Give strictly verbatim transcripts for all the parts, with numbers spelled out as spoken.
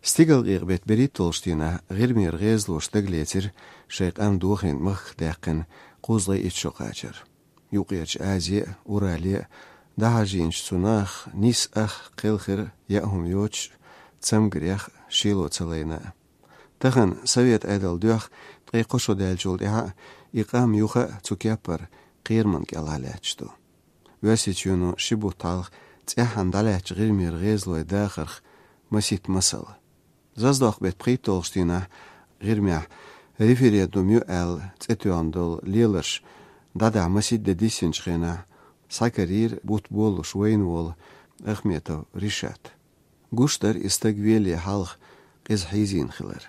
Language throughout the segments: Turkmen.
Stigal gıybet berit tolştina غirmir غezloş dagletir şeyqam duxin mıx daqin quzlay itşoqaçır. Yuqyaç Aziya, Uraliya, dahajinç tsunax nis ax qilxir yahum yoç tsamgriyax şilo tsalayna. Taxan Sovet aydal duax tqayqosho dalchul iha iqam yuxa tsukyapar qirman kalalaçtu. Vasichunu shibu talx tsahan dalach غirmir غezloy daxarx masit masal. Zazdaq bet pritolstina غirmia referendum yu el tsetuandol lilers dada masit de disinchena sakarir butbol shweynwol Ахметов Ришат. Гуштар истагвели халх qizhizin xilar.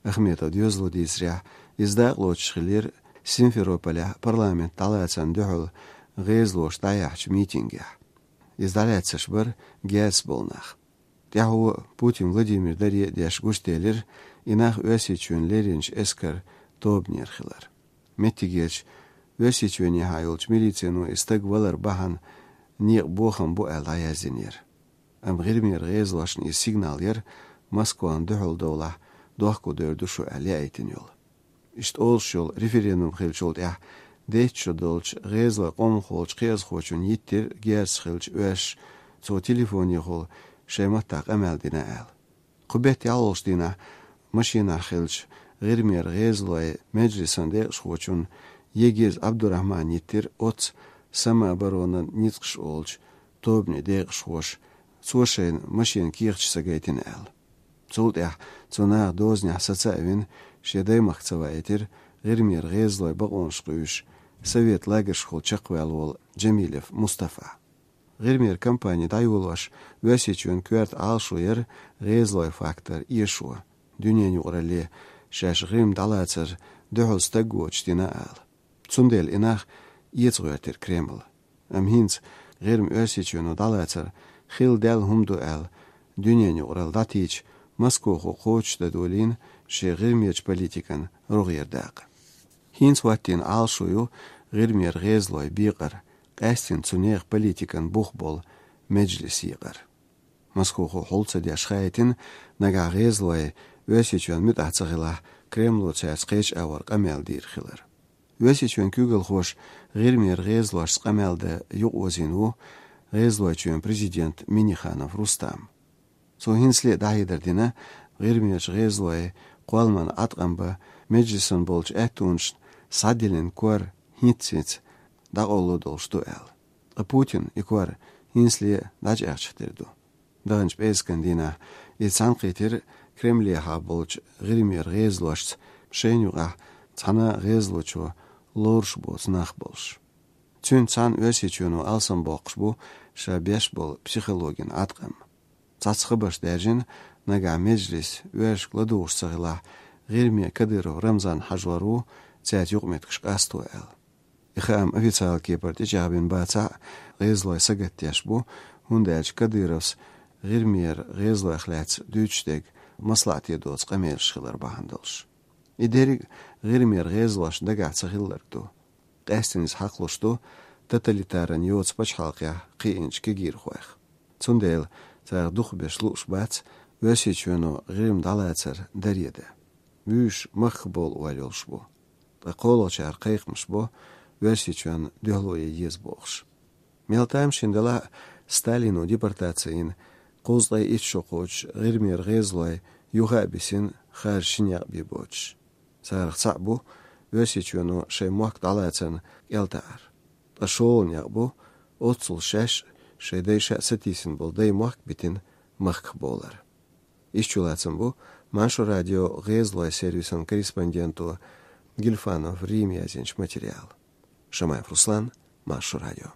Ахметов дёзлу дизря издаглоч хилер Симферополя парламент талацан дюхул غезлош даяч митингя. Издаляцаш бар гяц болнах. Тяху Путин Владимир дарье дяш гуштелер инах өсичүн леринч эскар тобнер хилар. Меттигеч өсичүн яхайолч милицияну истагвалар бахан ниq boxan bu el dayazinir. Am غirmir غezlaşn is signal yer Moskvan duhul dola dohku dördü şu el yaytin yol. İşte olş yol referendum xilçold ya detço dolç غezla qomxolç qez xoçun yittir gers xilç öş so telefon yol şeymattaq emel dina el. Qubet yalolş dina maşina xilç غirmir غezlay meclisan de xoçun Yegiz Abdurrahman yittir ots самооборона ницкш олч, тобни дегш хош, цошен машин кирч сагайтин эл. Цултях цуна дозня сацавин, шедаймах цавайтир, غirmir غезлой багонш Совет лагерш хол чаквелвол Джемилев Мустафа. Ғирмир компания дайволош весичүн квәрт алшуер ғезлой фактор ешуа. Дүнен юғрале шаш ғим далацар дөхөл стаггоч дина ал. Цундел инах Ietsröter Kreml. Am hins غيرم ösichun dalацар хил дел хумду эл дүнен юғрал датич Москва qoch дадулин ше ғирмеч политикан ругердақ. Хинс ваттин алшую ғирмер ғезлой биқар қастин цунех политикан бухбол меджлис иқар. Москва холца дяш хайтин нага ғезлой өсичун мүт ацағила Кремлу цац қеч авар қамел дир хилар. Өсичун күгіл хош غirmir غезлош сқамелде юқ غезлойчуен президент Миниханов Рустам. Со хинсли дахидер ғирмир ғезлой қуалман атқанба меджлисан болч әтунш садилин куар хинциц дағолу долшту эл. А Путин и куар хинсли дач әчтерду. Дағынч бескан дина и цанқитир Кремле болч ғирмир ғезлош шенюға цана ғезлочу лорш бо цнах болш. Цүн цан өсичүну алсан боқш бу ша беш бол психологин атқам. Цацхыбаш дәжин нага меджлис өш кладуш сағила ғирме Кадыров Рамзан хажлару цят юқмет кышқасту эл. Ихам официал кепар течабин баца ғезлой сагаттяш бу хундәч Кадыровс ғирмер ғезлой хляц дючтег маслат едоц қамел шхилар бахандолш. Идериг ғирмер ғезлош дага цахилларду. Қастинис хақлушту тоталитаран йоц пачхалқя қиинч кегир хуэх. Цундел цар дух беш луш бац өсичүну ғирм далацар дареде. Вүш мах бол уалёлш бу. Қолочар қайқмыш бу өсичүн дөхлуе ез боғш. Мелтайм шиндала Сталину депортацияин қозлай итшоқоч ғирмер ғезлой юға бисин хар шиняқ бибоч. Сарық цабу өсичүну шей муак далацан элтаар. Ашоол бу отсул шаш шейдей сатисин болдай муак битин махк болар. Исчулацан бу Маншу радио ғезлой сервисан корреспонденту Гильфанов Рим язинч материал. Шамаев Руслан, Машу радио.